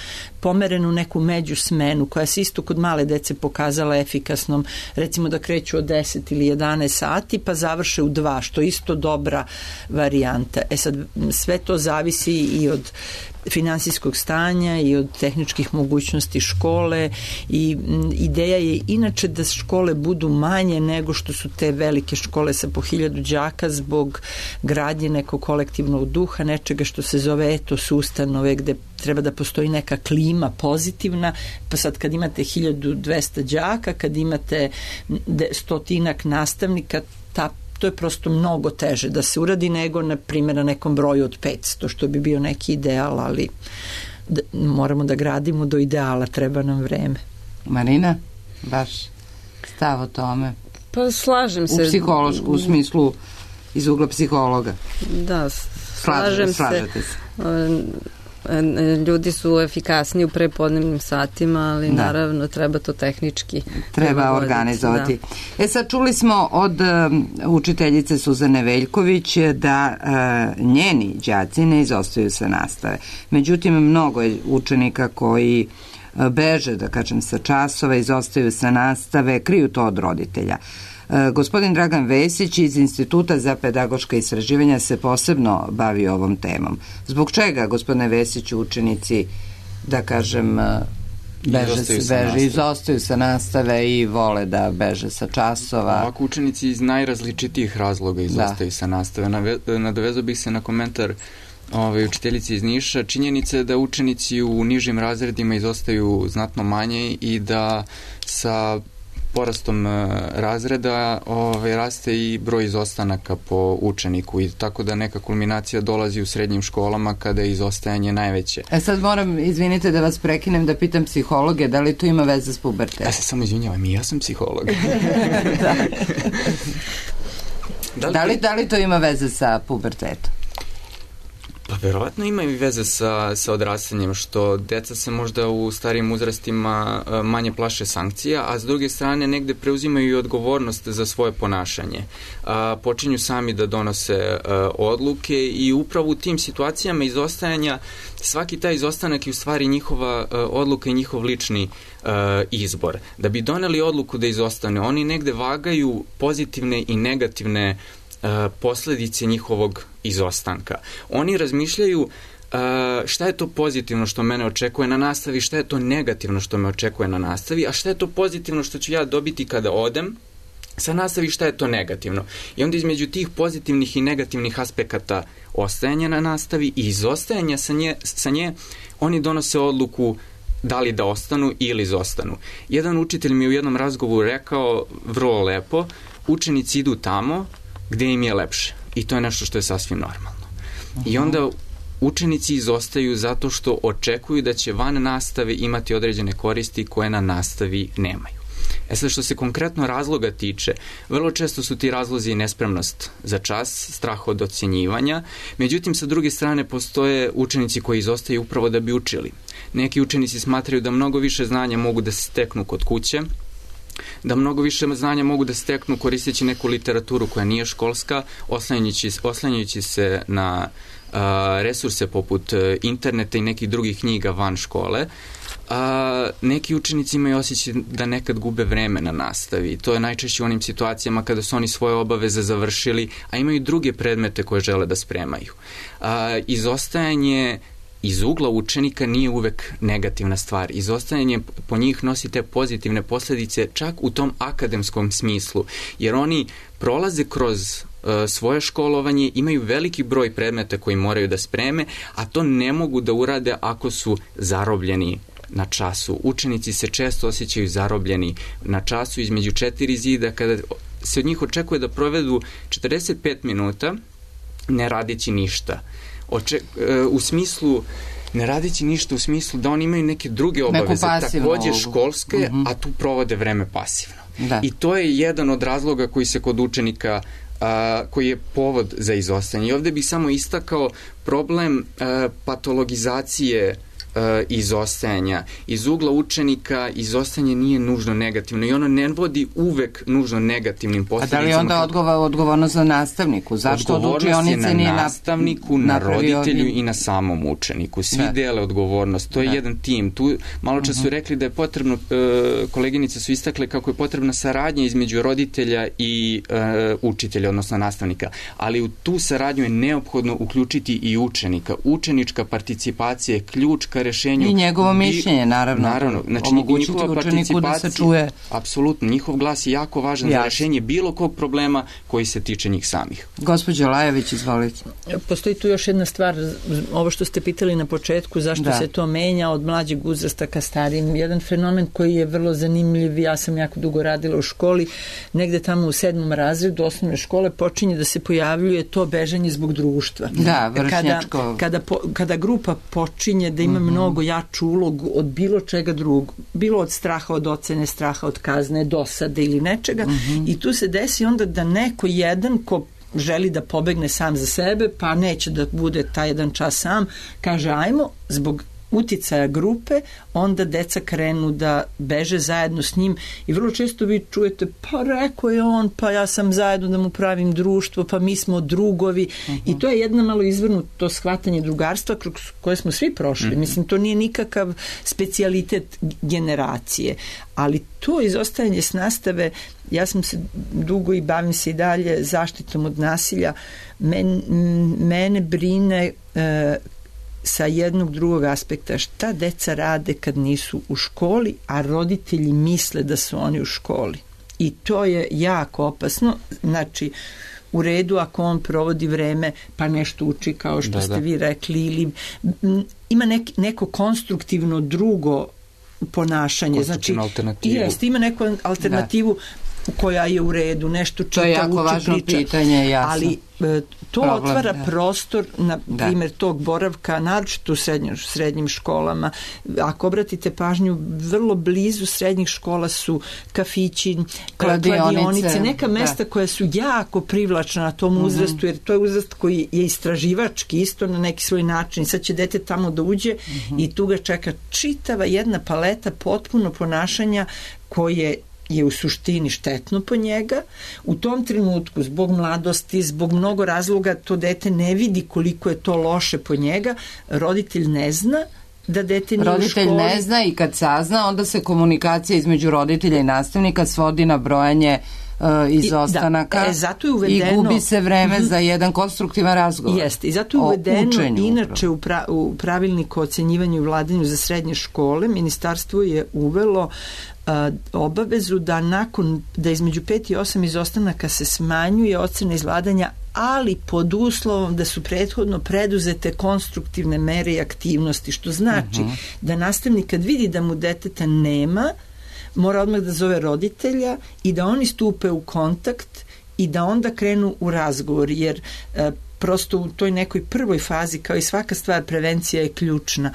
pomerenu neku među smenu koja se isto kod male dece pokazala efikasnom, recimo da kreću od deset ili jedanaest sati pa završe u dva, što je isto dobra varijanta. E sad, sve to zavisi i od finansijskog stanja i od tehničkih mogućnosti škole i ideja je inače da škole budu manje nego što su te velike škole sa po hiljadu đaka zbog gradnje nekog kolektivnog duha, nečega što se zove etos ustanove gde treba da postoji neka klima pozitivna, pa sad kad imate hiljadu dvesta đaka, kad imate stotinak nastavnika, ta to je prosto mnogo teže da se uradi nego, na primjer, na nekom broju od petsto, što bi bio neki ideal, ali da, moramo da gradimo do ideala, treba nam vreme. Marina, baš stav o tome? Pa slažem se. U psihološku, u smislu iz ugla psihologa. Da, slažem Slažete, se. Slažete se. Ljudi su efikasniji u prepodnevnim satima, ali da. naravno treba to tehnički treba organizovati. Da. E sad čuli smo od um, učiteljice Suzane Veljković da uh, njeni đaci ne izostaju sa nastave. Međutim, mnogo je učenika koji uh, beže, da kažem, sa časova, izostaju sa nastave, kriju to od roditelja. Gospodin Dragan Vesić iz Instituta za pedagoška istraživanja se posebno bavi ovom temom. Zbog čega, gospodine Vesiću, učenici, da kažem, beže, izostaju, se, beže, izostaju sa nastave i vole da beže sa časova? Ovako, učenici iz najrazličitijih razloga izostaju da. sa nastave. Nadovezao bih se na komentar Ove, učiteljice iz Niša. Činjenica je da učenici u nižim razredima izostaju znatno manje i da sa porastom razreda ove, raste i broj izostanaka po učeniku i tako da neka kulminacija dolazi u srednjim školama kada je izostajanje najveće. E sad moram, izvinite da vas prekinem, da pitam psihologe, da li to ima veze s pubertetom? Ja se samo izvinjavam, i ja sam psiholog. da. da, li, da, li, da li to ima veze sa pubertetom? Pa verovatno ima i veze sa, sa odrastanjem, što deca se možda u starijim uzrastima manje plaše sankcija, a s druge strane negde preuzimaju i odgovornost za svoje ponašanje. A, počinju sami da donose a, odluke i upravo u tim situacijama izostajanja svaki taj izostanak je u stvari njihova a, odluka i njihov lični a, izbor. Da bi doneli odluku da izostane, oni negde vagaju pozitivne i negativne posledice njihovog izostanka. Oni razmišljaju uh, šta je to pozitivno što mene očekuje na nastavi, šta je to negativno što me očekuje na nastavi, a šta je to pozitivno što ću ja dobiti kada odem sa nastavi, šta je to negativno. I onda između tih pozitivnih i negativnih aspekata ostajanja na nastavi i izostajanja sa nje, sa nje oni donose odluku da li da ostanu ili izostanu. Jedan učitelj mi u jednom razgovoru rekao vrlo lepo, učenici idu tamo gde im je lepše. I to je nešto što je sasvim normalno. Uh-huh. I onda učenici izostaju zato što očekuju da će van nastave imati određene koristi koje na nastavi nemaju. E sad, što se konkretno razloga tiče, vrlo često su ti razlozi nespremnost za čas, strah od ocjenjivanja, međutim, sa druge strane, postoje učenici koji izostaju upravo da bi učili. Neki učenici smatraju da mnogo više znanja mogu da se steknu kod kuće, da mnogo više znanja mogu da steknu koristeći neku literaturu koja nije školska, oslanjajući, oslanjajući se na a, resurse poput interneta i nekih drugih knjiga van škole. A, neki učenici imaju osjećaj da nekad gube vreme na nastavi. To je najčešće u onim situacijama kada su oni svoje obaveze završili, a imaju druge predmete koje žele da spremaju. A, izostajanje iz ugla učenika nije uvek negativna stvar. Izostajanje po njih nosi te pozitivne posledice čak u tom akademskom smislu, jer oni prolaze kroz uh, svoje školovanje, imaju veliki broj predmeta koji moraju da spreme, a to ne mogu da urade ako su zarobljeni na času. Učenici se često osjećaju zarobljeni na času između četiri zida, kada se od njih očekuje da provedu četrdeset pet minuta ne radići ništa. Oče, u smislu, ne radići ništa u smislu da oni imaju neke druge obaveze, takođe školske, mm-hmm. a tu provode vreme pasivno. Da. I to je jedan od razloga koji se kod učenika, a, koji je povod za izostajanje. I ovde bih samo istakao problem a, patologizacije izostajanja. Iz ugla učenika izostajanje nije nužno negativno i ono ne vodi uvek nužno negativnim posljedicama. A da li onda odgovor, odgovornost za nastavniku? Zašto od učionice nije na nastavniku, na roditelju i na samom učeniku. Svi da. dele odgovornost. To je da. jedan tim. Tu malo čas su rekli da je potrebno, koleginice su istakle kako je potrebna saradnja između roditelja i učitelja, odnosno nastavnika. Ali u tu saradnju je neophodno uključiti i učenika. Učenička participacija je ključ ka rešenju. I njegovo mišljenje, naravno. Naravno. Znači, omogućiti učeniku da se čuje. Apsolutno. Njihov glas je jako važan Jasne. za rešenje bilo kog problema koji se tiče njih samih. Gospođo Lajević, izvolite. Postoji tu još jedna stvar, ovo što ste pitali na početku, zašto da. se to menja od mlađeg uzrasta ka starijim. Jedan fenomen koji je vrlo zanimljiv, ja sam jako dugo radila u školi, negde tamo u sedmom razredu osnovne škole počinje da se pojavljuje to bežanje zbog društva. Da, vršnjačko. Kada, kada, po, kada grupa počinje da ima mm-hmm. mnogo jaču ulogu od bilo čega drugog, bilo od straha od ocene, straha od kazne, dosade ili nečega, mm-hmm. i tu se desi onda da neko jedan ko želi da pobegne sam za sebe, pa neće da bude taj jedan čas sam, kaže ajmo, zbog uticaja grupe, onda deca krenu da beže zajedno s njim i vrlo često vi čujete, pa rekao je on, pa ja sam zajedno da mu pravim društvo, pa mi smo drugovi. Uh-huh. I to je jedna malo izvrnuto shvatanje drugarstva kroz koje smo svi prošli. Uh-huh. Mislim, to nije nikakav specijalitet generacije, ali to izostajanje s nastave, ja sam se dugo i bavim se i dalje zaštitom od nasilja, Men, mene brine e, sa jednog drugog aspekta šta deca rade kad nisu u školi, a roditelji misle da su oni u školi. I to je jako opasno. Znači, u redu ako on provodi vreme pa nešto uči kao što da, ste da. vi rekli ili m, ima nek, neko konstruktivno drugo ponašanje. Znači, jest, ima neku alternativu da. koja je u redu, nešto čita, to je jako uči, važno priča. Pitanje, jasno. Ali to Problem, otvara da. prostor, na da. primjer, tog boravka, naročito u srednjim, srednjim školama. Ako obratite pažnju, vrlo blizu srednjih škola su kafići, kladionice, kladionice neka mesta da. koja su jako privlačna na tom uzrastu, mm-hmm. jer to je uzrast koji je istraživački isto na neki svoj način. Sad će dete tamo da uđe mm-hmm. i tu ga čeka čitava jedna paleta potpuno ponašanja koje je u suštini štetno po njega. U tom trenutku, zbog mladosti, zbog mnogo razloga, to dete ne vidi koliko je to loše po njega. Roditelj ne zna da dete nije roditelj u školi. ne zna i kad sazna, onda se komunikacija između roditelja i nastavnika svodi na brojanje uh, izostanaka I, da, e, zato je uvedeno, i gubi se vreme mm-hmm. za jedan konstruktivan razgovor. Jeste, i zato je uvedeno učenju, inače u, pra, u pravilniku o ocenjivanju i vladanju za srednje škole ministarstvo je uvelo Uh, obavezu da nakon, da između pet i osam izostanaka se smanjuje ocena izvladanja, ali pod uslovom da su prethodno preduzete konstruktivne mere i aktivnosti, što znači uh-huh. da nastavnik kad vidi da mu deteta nema, mora odmah da zove roditelja i da oni stupe u kontakt i da onda krenu u razgovor, jer uh, prosto u toj nekoj prvoj fazi, kao i svaka stvar, prevencija je ključna.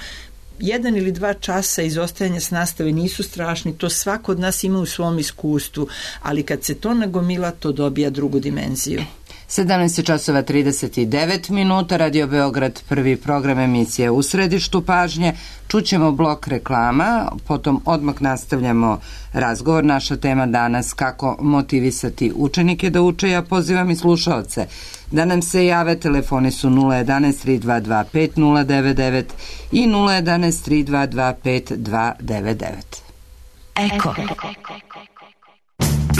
Jedan ili dva časa izostajanja s nastave nisu strašni, to svako od nas ima u svom iskustvu, ali kad se to nagomila, to dobija drugu dimenziju. sedamnaest časova trideset devet minuta, Radio Beograd, prvi program emisije U središtu pažnje. Čućemo blok reklama, potom odmah nastavljamo razgovor. Naša tema danas kako motivisati učenike da uče. Ja pozivam i slušaoce da nam se jave. Telefoni su nula jedanaest tri dva dva pet nula devet devet i nula jedanaest tri dva dva pet dva devet devet. Eko.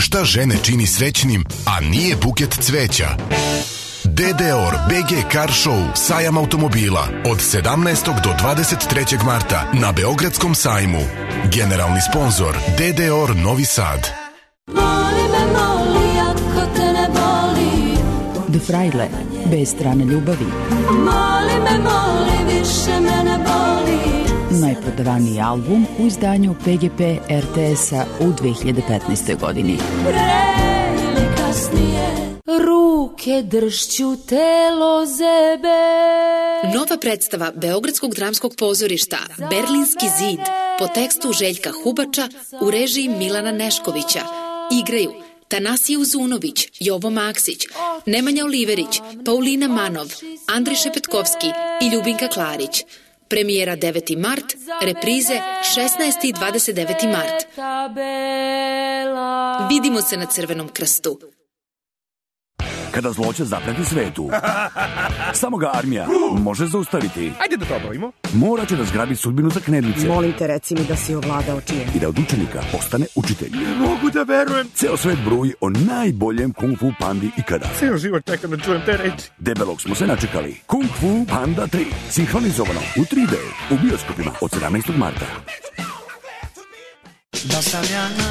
Šta žene čini srećnim, a nije buket cveća? D D O R B G Car Show, sajam automobila od sedamnaestog do dvadeset trećeg marta na Beogradskom sajmu. Generalni sponzor D D O R Novi Sad. Voli me, moli, ako te ne boli. De Frajle, bez strane ljubavi. Moli me, moli, više me ne boli. Najprodavaniji album u izdanju P G P R T S-a u dve hiljade petnaestoj godini. Pre ili kasnije, ruke dršću telo zebe. Nova predstava Beogradskog dramskog pozorišta Berlinski zid po tekstu Željka Hubača u režiji Milana Neškovića. Igraju Tanasije Uzunović, Jovo Maksić, Nemanja Oliverić, Paulina Manov, Andrej Šepetkovski i Ljubinka Klarić. Premijera deveti mart, reprize šesnaesti i dvadeset deveti mart. Vidimo se na Crvenom krstu. Kada zloće zapreti svetu, samo ga armija može zaustaviti. Ajde da to obavimo. Morat će da zgrabi sudbinu za knedlice. Molim te, reci mi da si ovladao čijem. I da od učenika postane učitelj. Ne mogu da verujem. Ceo svet bruji o najboljem kung fu pandi ikada. Ceo život čekam da čujem te reči. Debelog smo se načekali. Kung Fu Panda tri. Sinhronizovano u tri D u bioskopima od sedamnaestog marta.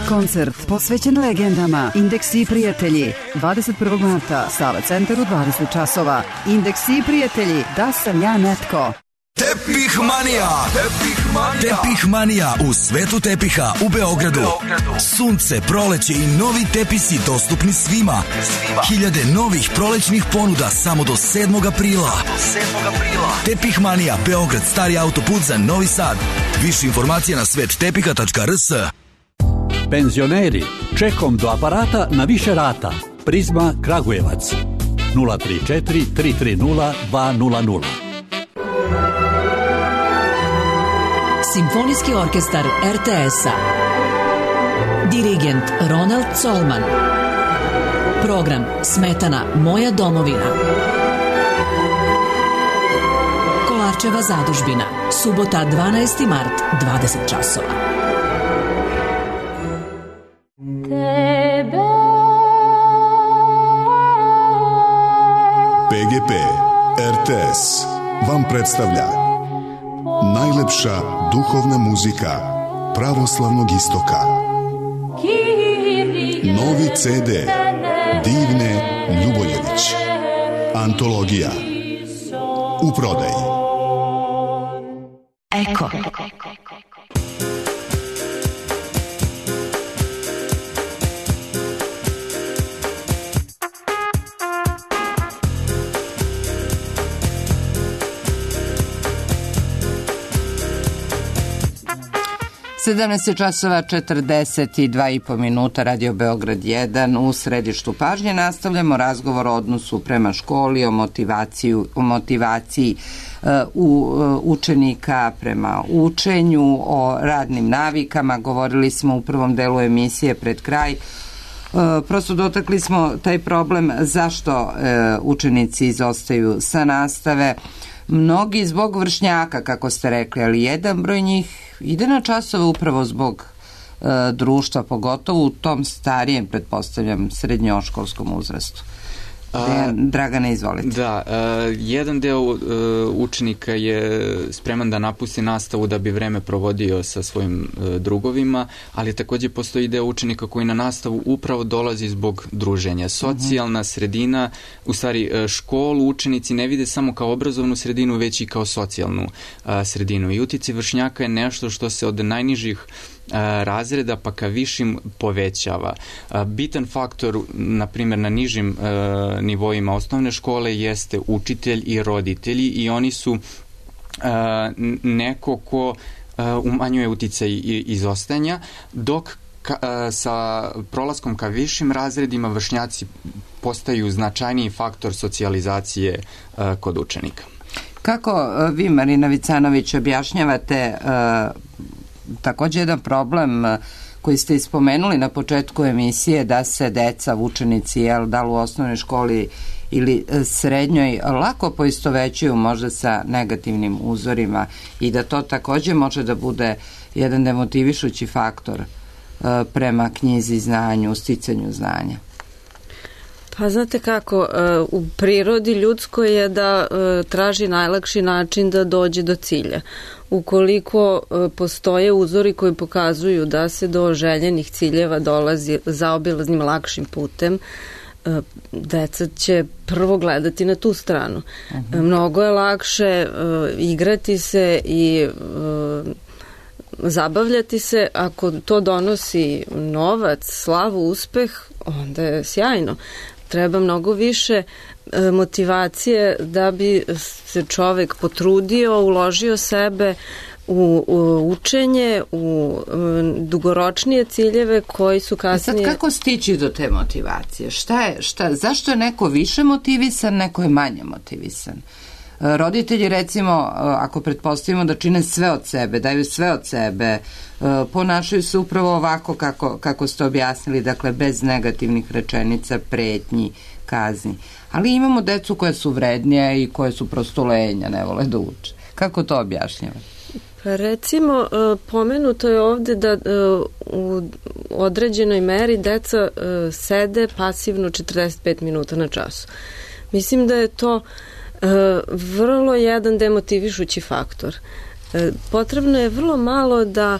Koncert posvećen legendama Indeksi i prijatelji dvadeset prvog marta, Sava centar u dvadeset časova. Indeksi i prijatelji, da sam ja netko. Tepih manija. Tepih manija. Tepih manija u svetu tepiha u Beogradu. Beogradu. Sunce, proleće i novi tepisi dostupni svima. svima. Hiljade novih prolećnih ponuda samo do sedmog aprila. Do sedmog aprila. Tepih manija, Beograd, stari autoput za Novi Sad. Više informacija na svet tepiha tačka r s. Penzioneri, čekom do aparata na više rata. Prizma Kragujevac. nula tri četiri tri tri nula dva nula nula. Simfonijski orkestar R T S-a. Dirigent Ronald Colman. Program Smetana Moja domovina. Kolarčeva zadužbina. Subota dvanaesti mart, dvadeset časova. P G P R T S vam predstavlja najlepša duhovna muzika pravoslavnog istoka. Novi C D Divne Ljuboljević. Antologija. U prodaji. Eko. sedamnaest časova četrdeset dva i po minuta, Radio Beograd jedan, u središtu pažnje. Nastavljamo razgovor o odnosu prema školi, o motivaciju, o motivaciji uh, u, uh, učenika prema učenju, o radnim navikama. Govorili smo u prvom delu emisije pred kraj. Uh, prosto dotakli smo taj problem zašto uh, učenici izostaju sa nastave. Mnogi zbog vršnjaka, kako ste rekli, ali jedan broj njih ide na časove upravo zbog e, društva, pogotovo u tom starijem, pretpostavljam, srednjoškolskom uzrastu. A, Dragane, izvolite. Da, uh, jedan deo uh, učenika je spreman da napusti nastavu da bi vreme provodio sa svojim uh, drugovima, ali takođe postoji deo učenika koji na nastavu upravo dolazi zbog druženja. Socijalna uh-huh. sredina, u stvari uh, školu učenici ne vide samo kao obrazovnu sredinu, već i kao socijalnu uh, sredinu. I uticaj vršnjaka je nešto što se od najnižih razreda pa ka višim povećava. Bitan faktor, na primjer, na nižim nivoima osnovne škole jeste učitelj i roditelji i oni su neko ko umanjuje uticaj izostajanja, dok Ka, sa prolaskom ka višim razredima vršnjaci postaju značajniji faktor socijalizacije uh, kod učenika. Kako uh, vi, Marina Vicanović, objašnjavate uh, također jedan problem uh, koji ste ispomenuli na početku emisije, da se deca, učenici, jel, da li u osnovnoj školi ili srednjoj, lako poistovećuju možda sa negativnim uzorima i da to također može da bude jedan demotivišući faktor prema knjizi, znanju, sticanju znanja? Pa znate kako, u prirodi ljudskoj je da traži najlakši način da dođe do cilja. Ukoliko postoje uzori koji pokazuju da se do željenih ciljeva dolazi zaobilaznim lakšim putem, deca će prvo gledati na tu stranu. Uh-huh. Mnogo je lakše igrati se i zabavljati se, ako to donosi novac, slavu, uspeh, onda je sjajno. Treba mnogo više e, motivacije da bi se čovek potrudio, uložio sebe u, u učenje, u um, dugoročnije ciljeve koji su kasnije... Sad kako stići do te motivacije? Šta je, šta, zašto je neko više motivisan, neko je manje motivisan? Roditelji, recimo, ako pretpostavimo da čine sve od sebe, daju sve od sebe, ponašaju se upravo ovako kako, kako ste objasnili, dakle bez negativnih rečenica, pretnji, kazni. Ali imamo decu koje su vrednije i koje su prosto lenja, ne vole da uče. Kako to objašnjava? Pa recimo, pomenuto je ovde da u određenoj meri deca sede pasivno četrdeset pet minuta na času. Mislim da je to vrlo jedan demotivišući faktor. Potrebno je vrlo malo da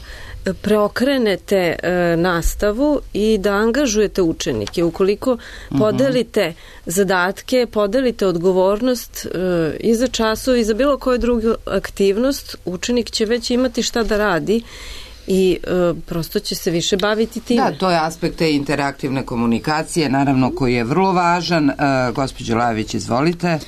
preokrenete nastavu i da angažujete učenike. Ukoliko podelite zadatke, podelite odgovornost i za časove i za bilo koju drugu aktivnost, učenik će već imati šta da radi i e, prosto će se više baviti time. Da, to je aspekt te interaktivne komunikacije, naravno, koji je vrlo važan. E, gospođo Lavić, izvolite.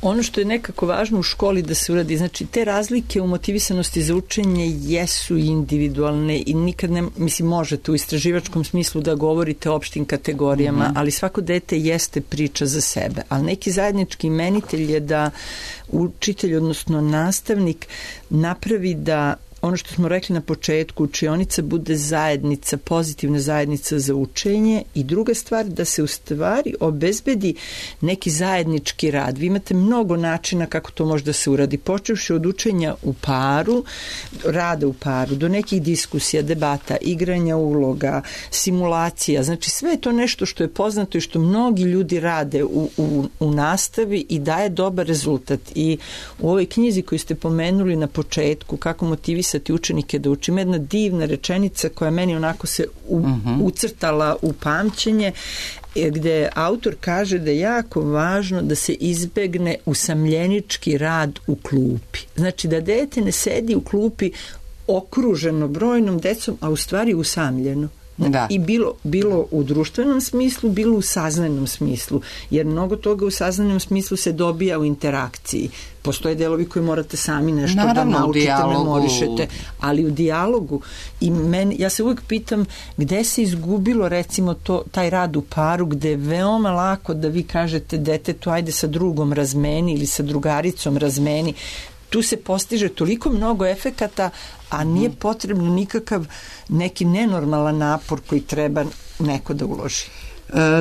Ono što je nekako važno u školi da se uradi, znači te razlike u motivisanosti za učenje jesu individualne i nikad ne, mislim, možete u istraživačkom smislu da govorite o opštim kategorijama, mm-hmm. ali svako dete jeste priča za sebe, ali neki zajednički imenitelj je da učitelj, odnosno nastavnik, napravi da ono što smo rekli na početku, učionica bude zajednica, pozitivna zajednica za učenje i druga stvar da se u stvari obezbedi neki zajednički rad. Vi imate mnogo načina kako to može da se uradi, počevši od učenja u paru, rada u paru, do nekih diskusija, debata, igranja uloga, simulacija, znači sve je to nešto što je poznato i što mnogi ljudi rade u, u, u nastavi i daje dobar rezultat. I u ovoj knjizi koju ste pomenuli na početku, kako motivisati učenike da učim, jedna divna rečenica koja meni onako se u, uh-huh. ucrtala u pamćenje, gde autor kaže da je jako važno da se izbegne usamljenički rad u klupi. Znači da dete ne sedi u klupi okruženo brojnom decom, a u stvari usamljeno. Da. I bilo, bilo u društvenom smislu, bilo u saznanom smislu, jer mnogo toga u saznanom smislu se dobija u interakciji. Postoje delovi koji morate sami nešto naravno, da naučite, memorišete, ali u dijalogu. I meni, ja se uvijek pitam gde se izgubilo recimo to, taj rad u paru, gde je veoma lako da vi kažete detetu ajde sa drugom razmeni ili sa drugaricom razmeni. Tu se postiže toliko mnogo efekata, a nije potrebno nikakav neki nenormalan napor koji treba neko da uloži.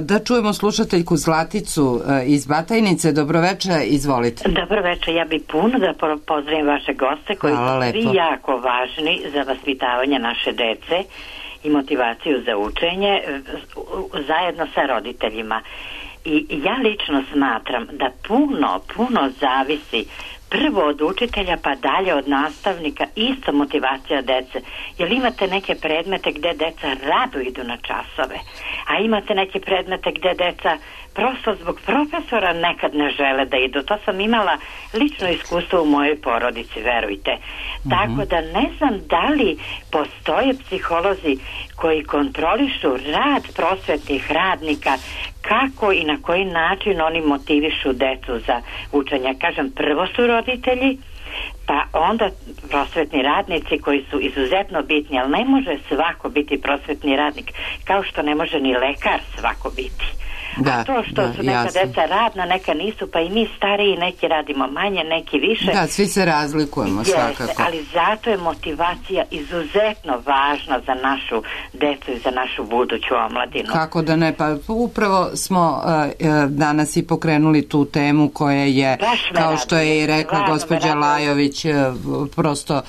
Da čujemo slušateljku Zlaticu iz Batajnice. Dobroveče, izvolite. Dobroveče, ja bih puno da pozdravim vaše goste koji Hvala su svi lepo. jako važni za vaspitavanje naše dece i motivaciju za učenje zajedno sa roditeljima. I ja lično smatram da puno, puno zavisi prvo od učitelja pa dalje od nastavnika isto motivacija dece. Jer imate neke predmete gde deca rado idu na časove, a imate neke predmete gde deca prosto zbog profesora nekad ne žele da idu. To sam imala lično iskustvo u mojoj porodici, verujte. Mm-hmm. Tako da ne znam da li postoje psiholozi koji kontrolišu rad prosvetnih radnika, kako i na koji način oni motivišu decu za učenje. Kažem, prvo su roditelji, pa onda prosvetni radnici koji su izuzetno bitni, ali ne može svako biti prosvetni radnik, kao što ne može ni lekar svako biti. Da, a to što da, su neka jasno. Deca radna, neka nisu, pa i mi stariji neki radimo manje, neki više. Da, svi se razlikujemo. Jeste, svakako. Ali zato je motivacija izuzetno važna za našu decu i za našu buduću omladinu. Kako da ne, pa upravo smo uh, danas i pokrenuli tu temu koja je, kao što je i rekla gospođa Lajović, uh, prosto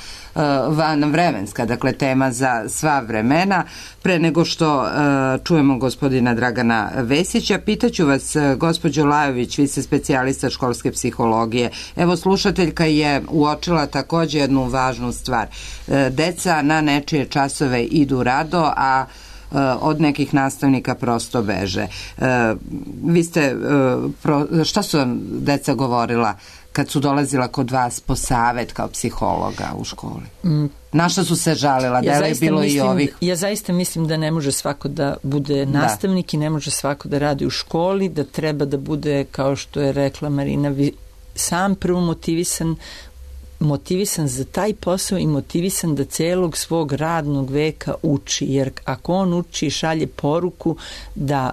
van vremenska, dakle tema za sva vremena. Pre nego što uh, čujemo gospodina Dragana Vesića, pitaću vas, uh, gospođo Lajović, vi ste specijalista školske psihologije. Evo, slušateljka je uočila takođe jednu važnu stvar. Uh, deca na nečije časove idu rado, a uh, od nekih nastavnika prosto beže. Uh, vi ste, uh, pro, šta su vam deca govorila kad su dolazila kod vas po savet kao psihologa u školi? Mm. Na što su se žalila? Ja da je bilo mislim, i ovih? Ja zaista mislim da ne može svako da bude nastavnik da. I ne može svako da radi u školi, da treba da bude, kao što je rekla Marina, sam prvo motivisan motivisan za taj posao i motivisan da celog svog radnog veka uči, jer ako on uči i šalje poruku da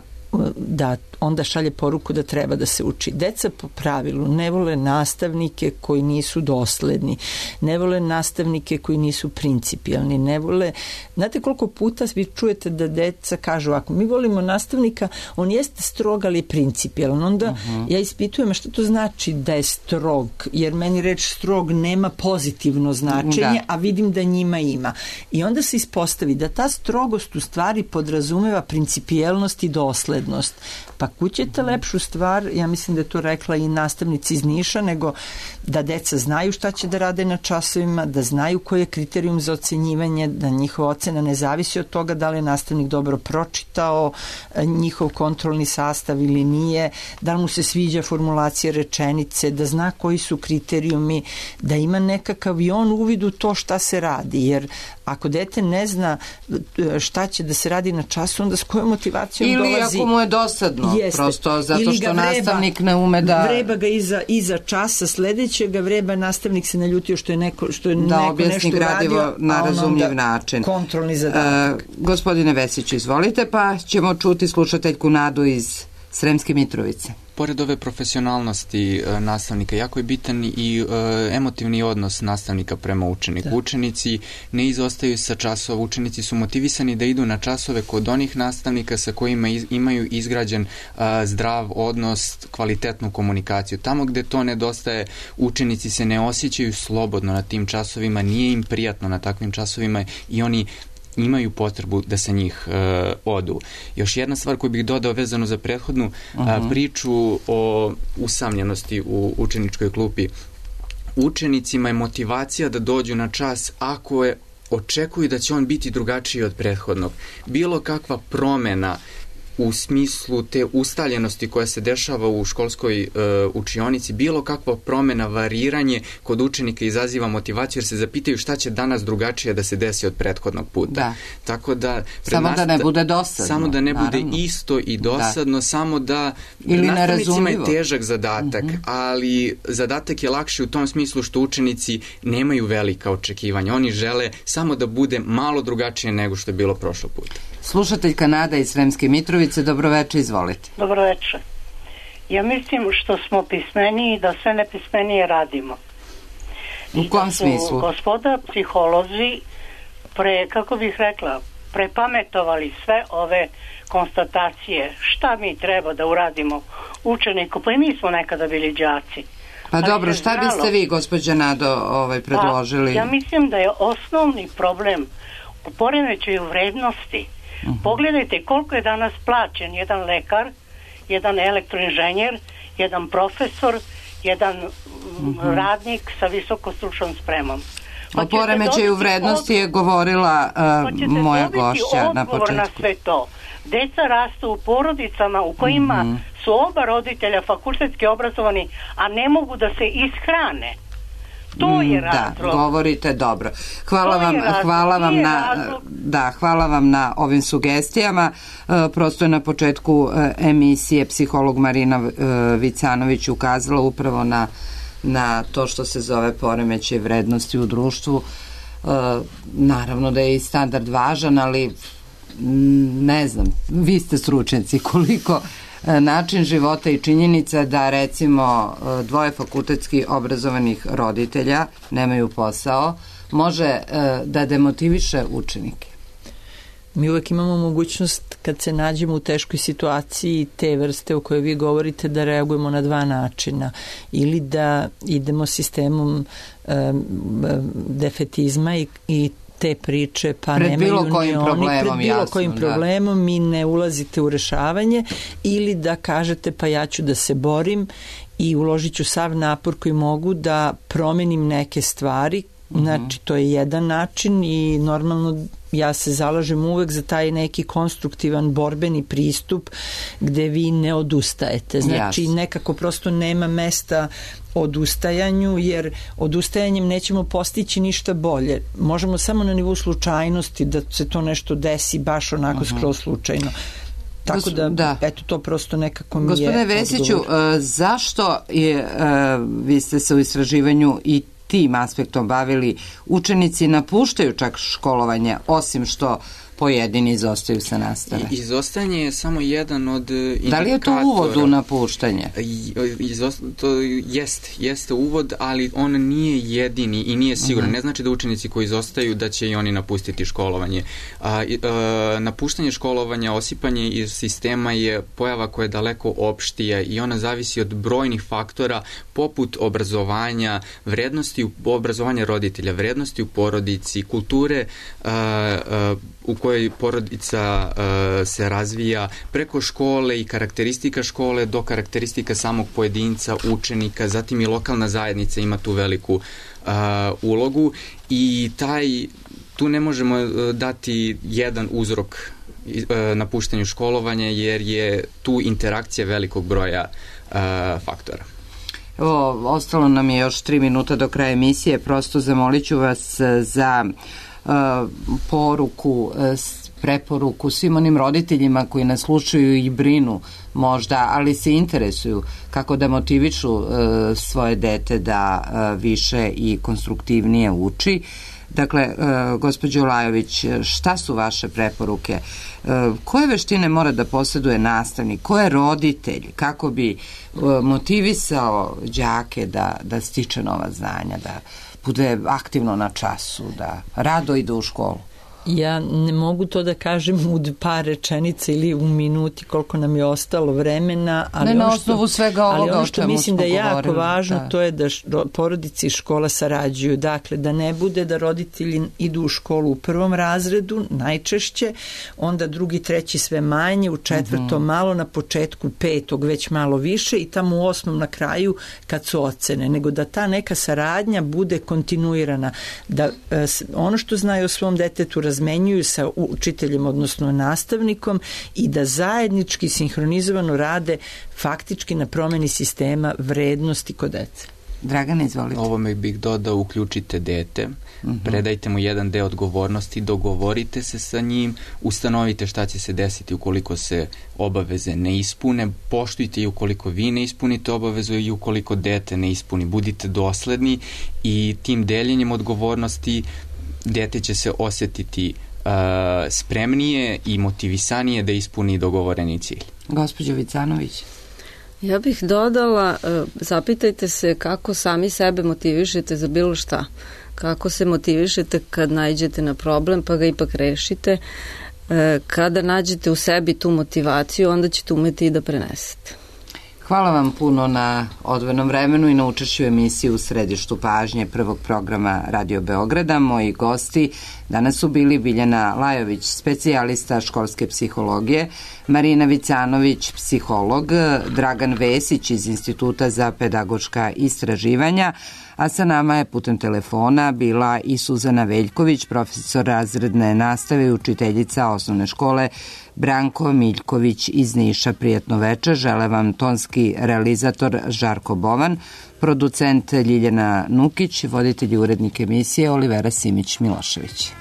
da onda šalje poruku da treba da se uči. Deca po pravilu ne vole nastavnike koji nisu dosledni, ne vole nastavnike koji nisu principijalni, ne vole... Znate koliko puta vi čujete da deca kažu, ako mi volimo nastavnika, on jeste strog, ali je principijalan. Onda uh-huh. ja ispitujem šta to znači da je strog, jer meni reč strog nema pozitivno značenje, da. A vidim da njima ima. I onda se ispostavi da ta strogost u stvari podrazumeva principijelnost i doslednost. Pa kućete lepšu stvar, ja mislim da je to rekla i nastavnici iz Niša, nego da deca znaju šta će da rade na časovima, da znaju koji je kriterijum za ocenjivanje, da njihova ocena ne zavisi od toga da li je nastavnik dobro pročitao njihov kontrolni sastav ili nije, da li mu se sviđa formulacija rečenice, da zna koji su kriterijumi, da ima nekakav i on uvid u to šta se radi, jer ako dete ne zna šta će da se radi na času, onda s kojom motivacijom ili dolazi... Ili ako mu je dosadno, jeste, prosto zato što vreba, nastavnik ne ume da... Vreba ga iza, iza časa sledećega, vreba nastavnik se naljutio što je neko, što je da neko nešto gradivo uradio, na razumljiv način. Kontrolni zadatak. Uh, gospodine Vesiću, izvolite, pa ćemo čuti slušateljku Nadu iz Sremske Mitrovice. Pored ove profesionalnosti e, nastavnika, jako je bitan i e, emotivni odnos nastavnika prema učeniku. Da. Učenici ne izostaju sa časova, učenici su motivisani da idu na časove kod onih nastavnika sa kojima iz, imaju izgrađen e, zdrav odnos, kvalitetnu komunikaciju. Tamo gde to nedostaje, učenici se ne osjećaju slobodno na tim časovima, nije im prijatno na takvim časovima i oni imaju potrebu da se njih e, odu. Još jedna stvar koju bih dodao vezano za prethodnu uh-huh. a, priču o usamljenosti u učeničkoj klupi. Učenicima je motivacija da dođu na čas ako je očekuju da će on biti drugačiji od prethodnog. Bilo kakva promena u smislu te ustaljenosti koja se dešava u školskoj e, učionici, bilo kakva promena, variranje kod učenika izaziva motivaciju jer se zapitaju šta će danas drugačije da se desi od prethodnog puta. Da. Tako da... Samo da ne bude dosadno. Samo da ne naravno. Bude isto i dosadno, da. Samo da... Ili nastavnicima je težak zadatak, uh-huh. ali zadatak je lakši u tom smislu što učenici nemaju velika očekivanja. Oni žele samo da bude malo drugačije nego što je bilo prošlo puta. Slušateljka Nada iz Sremske Mitrovice, dobroveče, izvolite. Dobroveče. Ja mislim što smo pismeniji da sve nepismenije radimo. U kom smislu? Gospoda psiholozi pre, kako bih rekla, prepametovali sve ove konstatacije. Šta mi treba da uradimo učeniku? Pa i mi smo nekada bili đaci. Pa ali dobro, šta znalo, biste vi, gospođa Nado, ovaj, predložili? Pa, ja mislim da je osnovni problem u poremećaju vrednosti. Uh-huh. Pogledajte koliko je danas plaćen jedan lekar, jedan elektroinženjer, jedan profesor, jedan mm-hmm. radnik sa visokostručnom spremom. O poremećaju vrednosti je govorila uh, moja gošća na početku. Na sve to. Deca rastu u porodicama u kojima mm-hmm. su oba roditelja fakultetski obrazovani, a ne mogu da se ishrane. To je razlog. Da, govorite dobro. Hvala vam, hvala vam na da, hvala vam na ovim sugestijama. Prosto je na početku emisije psiholog Marina Vicanović ukazala upravo na na to što se zove poremećaj vrednosti u društvu. Naravno da je i standard važan, ali ne znam, vi ste stručnjaci, koliko način života i činjenica da recimo dvoje fakultetski obrazovanih roditelja nemaju posao može da demotiviše učenike. Mi uvek imamo mogućnost kad se nađemo u teškoj situaciji te vrste o kojoj vi govorite da reagujemo na dva načina. Ili da idemo sistemom um, defetizma i, i te priče pa pred nemaju bilo kojim ni oni, problemom, pred bilo jasno, kojim da. problemom mi ne ulazite u rešavanje, ili da kažete pa ja ću da se borim i uložit ću sav napor koji mogu da promenim neke stvari. Znači, to je jedan način i normalno ja se zalažem uvek za taj neki konstruktivan borbeni pristup gde vi ne odustajete. Znači, yes. nekako prosto nema mesta odustajanju, jer odustajanjem nećemo postići ništa bolje. Možemo samo na nivou slučajnosti da se to nešto desi baš onako uh-huh. skroz slučajno. Tako da, da, eto, to prosto nekako mi Gospodine je Vesiću, odgovor. Uh, zašto je, uh, vi ste se u istraživanju i tim aspektom bavili, učenici napuštaju čak školovanje, osim što pojedini izostaju sa nastave? Izostajanje je samo jedan od indikatora. Da li je to uvod u napuštanje? Izost, to jest, jeste uvod, ali on nije jedini i nije siguran. Uh-huh. Ne znači da učenici koji izostaju da će i oni napustiti školovanje. A, a, napuštanje školovanja, osipanje iz sistema je pojava koja je daleko opštija i ona zavisi od brojnih faktora poput obrazovanja, vrednosti u obrazovanja roditelja, vrednosti u porodici, kulture a, a, u kojoj porodica uh, se razvija, preko škole i karakteristika škole do karakteristika samog pojedinca, učenika, zatim i lokalna zajednica ima tu veliku uh, ulogu i taj, tu ne možemo uh, dati jedan uzrok uh, napuštanju školovanja jer je tu interakcija velikog broja uh, faktora. Evo, ostalo nam je još tri minuta do kraja emisije, prosto zamolit ću vas za Uh, poruku, uh, preporuku svim onim roditeljima koji nas slušaju i brinu možda, ali se interesuju kako da motivišu uh, svoje dete da uh, više i konstruktivnije uči. Dakle, uh, gospođo Lajović, šta su vaše preporuke? Uh, koje veštine mora da posjeduje nastavnik? Ko je roditelj? Kako bi uh, motivisao đake da, da stiče nova znanja, da bude aktivno na času, da rado ide u školu? Ja ne mogu to da kažem u par rečenica ili u minuti koliko nam je ostalo vremena, ali ne ono na što, osnovu svega ovoga ali ono što mislim da je jako govorili, važno, da. to je da š, porodice i škola sarađuju. Dakle, da ne bude da roditelji idu u školu u prvom razredu, najčešće, onda drugi, treći sve manje, u četvrtom mm-hmm. malo, na početku petog već malo više i tamo u osmom na kraju kad su ocene, nego da ta neka saradnja bude kontinuirana, da e, ono što znaju o svom detetu razmenjuju sa učiteljem, odnosno nastavnikom i da zajednički sinhronizovano rade faktički na promeni sistema vrednosti kod dece. Dragana, izvolite. Ovome bih dodao, uključite dete, uh-huh. predajte mu jedan deo odgovornosti, dogovorite se sa njim, ustanovite šta će se desiti ukoliko se obaveze ne ispune, poštujte i ukoliko vi ne ispunite obavezu i ukoliko dete ne ispuni. Budite dosledni i tim deljenjem odgovornosti dete će se osjetiti uh, spremnije i motivisanije da ispuni dogovoreni cilj. Gospođo Vicanović. Ja bih dodala, zapitajte se kako sami sebe motivišete za bilo šta. Kako se motivišete kad nađete na problem pa ga ipak rešite. Kada nađete u sebi tu motivaciju, onda ćete umeti i da prenesete. Hvala vam puno na odvojenom vremenu i na učešću emisiji u središtu pažnje prvog programa Radio Beograda. Moji gosti Danas su bili Biljana Lajović, specijalista školske psihologije, Marina Vicanović, psiholog, Dragan Vesić iz Instituta za pedagoška istraživanja, a sa nama je putem telefona bila i Suzana Veljković, profesor razredne nastave i učiteljica osnovne škole Branko Miljković iz Niša. Prijatno večer, žele vam tonski realizator Žarko Bovan, producent Ljiljana Nukić, voditelj i urednik emisije Olivera Simić-Milošević.